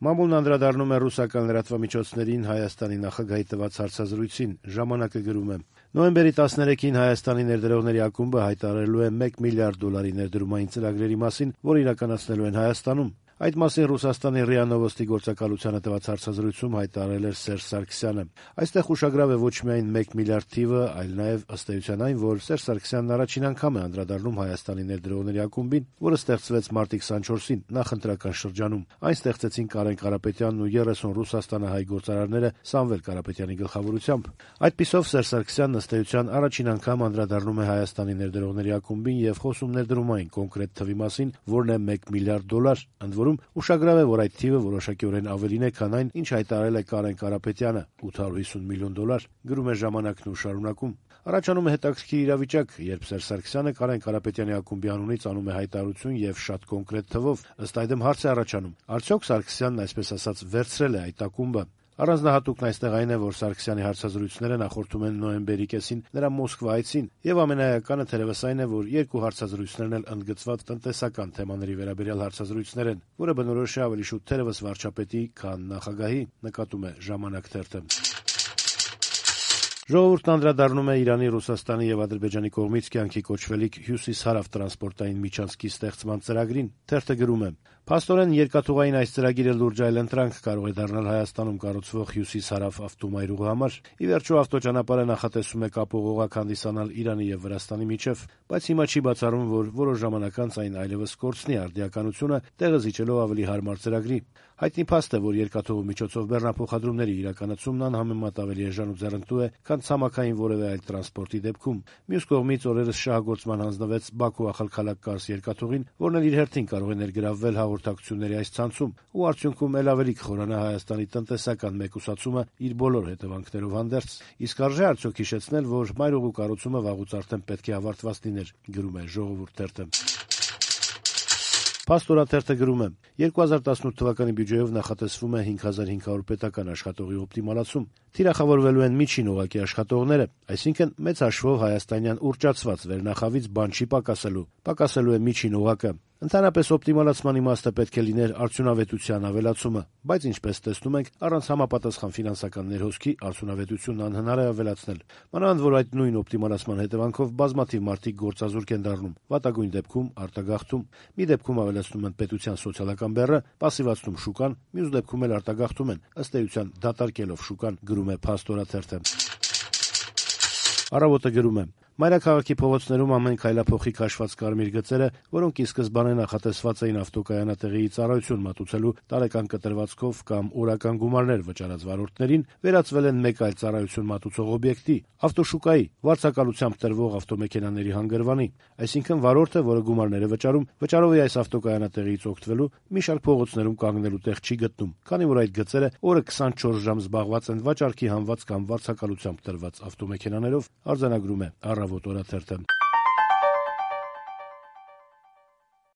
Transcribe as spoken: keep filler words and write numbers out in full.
Մամուլն անդրադառնում է ռուսական լրատվամիջոցներին Հայաստանի նախագահի տված հարցազրույցին, ժամանակը գրում է. Նոյեմբերի տասներեքին Հայաստանի ներդրողների ակումբը հայտարարելու է մեկ միլիարդ դոլարի ներդրումային ծրագրերի մասին, որ իրականացնելու են Հայաստանում։ Այդ մասին Ռուսաստանի ՌԻԱ Նովոստի գործակալությանը տված հարցազրույցում հայտարարել էր Սերժ Սարգսյանը։ Այստեղ ուշագրավ է ոչ միայն մեկ միլիարդ թիվը, այլ նաև ըստ էության այն, որ Սերժ Սարգսյանն առաջին անգամ է անդրադառնում Հայաստանի ներդրողների ակումբին, որը ստեղծվեց մարտի քսանչորսին նախընտրական շրջանում։ Այն ստեղծեցին Կարեն Կարապետյանն ու երեսուն ռուսաստանահայ գործարարները Սամվել Կարապետյանի գլխավորությամբ։ Այդպիսով Սերժ Սարգսյանն ըստ էության առաջին անգամ անդրադառնում է Հայաստանի ներդրողների ակումբին եւ խոսում ներդրումային կոնկրետ թվի մասին, որն է մեկ միլիարդ դոլար, ընդ որում ուշագրավ է, որ այդ թիվը որոշակիորեն ավելին է, քան այն, ինչ հայտարարել է Կարեն Կարապետյանը՝ ութ հարյուր հիսուն միլիոն դոլար, գրում է ժամանակն ու շարունակում։ Առաջանում է հետաքրքիր իրավիճակ, երբ Սերժ Սարգսյանը Կարեն Կարապետյանի ակումբի անունից անում է հայտարարություն եւ շատ կոնկրետ թվով, ըստ այդմ հարց է առաջանում. արդյոք Սարգսյանն այսպես ասած վերցրել է այդ ակումբը։ Առանձնահատուկն այստեղ այն է, որ Սարգսյանի հարցազրույցները նախորդում են նոյեմբերի կեսին նրա Մոսկվա այցին, եւ ամենաեականը թերևս այն է, որ երկու հարցազրույցներն էլ ընդգծված տնտեսական թեմաների վերաբերյալ հարցազրույցներ են, որը բնորոշ է ավելի շուտ թերևս վարչապետի, քան նախագահի, նկատում է Ժամանակ թերթը։ Ժողովուրդն անդրադառնում է Իրանի, Ռուսաստանի եւ Ադրբեջանի կողմից կյանքի կոչվելիք Հյուսիս-Հարավ տրանսպորտային միջանցքի ստեղծման ծրագրին։ Թերթը գրում է. Փաստորեն երկաթուղային այս ծրագիրը լուրջ այլընտրանք կարող է դառնալ Հայաստանում կառուցվող Հյուսիս-Հարավ ավտոմայրուղու համար։ Ի վերջո ավտոճանապարհը նախատեսում է կապող օղակ հանդիսանալ Իրանի եւ Վրաստանի միջև, բայց հիմա չի բացառում, որ որոշ ժամանակ անց այն այլևս կորցնի արդիականությունը, տեղը զիջելով ավելի հարմար ծրագրի։ Հայտնի փաստ է, որ երկաթուղու միջոցով բեռնափոխադրումների իրականացումն անհամեմատ ավելի էժան ու ձեռնտու է, քան ցամաքային որևէ այլ տրանսպորտի դեպքում։ Մյուս կողմից օրերս շահագործման հանձնվեց Բաքու-Ախալքալակ-Կարս երկաթուղին, որն էլ իր հերթին կարող է ներգրավվել հաղորդակցությունների այս ցանցում ու արդյունքում էլ ավելի կխորանա Հայաստանի տնտեսական մեկուսացումը իր բոլոր հետևանքներով հանդերձ։ Իսկ արժե արդյոք հիշեցնել, որ մայրուղու կառուցումը վաղուց արդեն պետք է ավարտված լիներ, գրում է Ժողովուրդ թերթը։ Փաստորաթերթը գրում է. երկու հազար տասնութ թվականի բյուջեով նախատեսվում է հինգ հազար հինգ հարյուր պետական աշխատողի օպտիմալացում։ Թիրախավորվելու են միջին օղակի աշխատողները, այսինքն մեծ հաշվով հայաստանյան ուռճացված վերնախավից բան չի պակասելու, պակասելու է միջին օղակը։ Ընդհանրապես օպտիմալացման իմաստը պետք է լիներ արդյունավետության ավելացումը, բայց ինչպես տեսնում ենք, առանց համապատասխան ֆինանսական ներհոսքի արդյունավետությունն անհնար է ավելացնել։ Մանավանդ որ այդ նույն օպտիմալացման հետևանքով բազմաթիվ մարդիկ գործազուրկ են դառնում, վատագույն դեպքում արտագաղթում։ Մի դեպքում ավելացնում են պետության սոցիալական բեռը, պասիվացնում շուկան, մյուս դեպքում էլ արտագաղթում են, ըստ էության դատարկելով շուկան, գրում է Փաստորաթերթը։ Առավոտը գրում է. Մայրաքաղաքի փողոցներում ամեն քայլափոխի քաշված կարմիր գծերը, որոնք ի սկզբանե նախատեսված էին ավտոկայանատեղիի ծառայություն մատուցելու տարեկան կտրվածքով կամ օրական գումարներ վճարած վարորդներին, վերածվել են մեկ այլ ծառայություն մատուցող օբյեկտի՝ ավտոշուկայի, վարձակալությամբ տրվող ավտոմեքենաների հանգրվանի։ Այսինքն վարորդը, որը գումարներ է վճարում, վճարով է այս ավտոկայանատեղիից օգտվելու, մի շարք փողոցներում կանգնելու տեղ չի գտնում, քանի որ այդ գծերը օրը քսանչորս ժամ զբաղված են վաճառքի հանված կամ վարձակալությամբ տրված ավտոմեքենաներով, արձանագրում է Առավոտ օրաթերթը։